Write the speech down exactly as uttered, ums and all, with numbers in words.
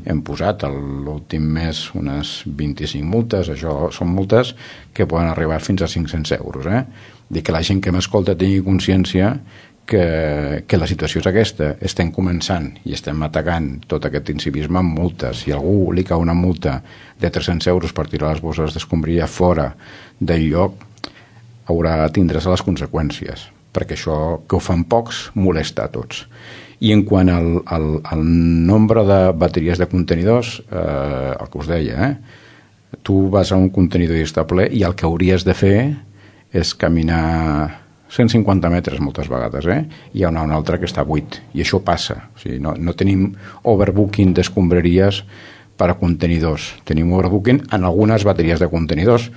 hem posat l'últim mes unes vint-i-cinc multes. Això són multes que poden arribar fins a cinc-cents euros. Eh? Dic que la gent que m'escolta tingui consciència que, que la situació és aquesta. Estem començant i estem atacant tot aquest incivisme amb multes. Si a algú li cau una multa de tres-cents euros per tirar les bosses d'escombraria fora del lloc, haurà de tindre's les conseqüències, perquè això, que ho fan pocs, molesta a tots. I en quant al, al, al nombre de bateries de contenidors, eh, el que us deia, eh? Tu vas a un contenidor i està ple i el que hauries de fer és caminar cent cinquanta metres moltes vegades, eh? Hi ha una, una altra que està buit, i això passa. O sigui, no, no tenim overbooking d'escombraries per a contenidors. Tenim overbooking en algunes bateries de contenidors,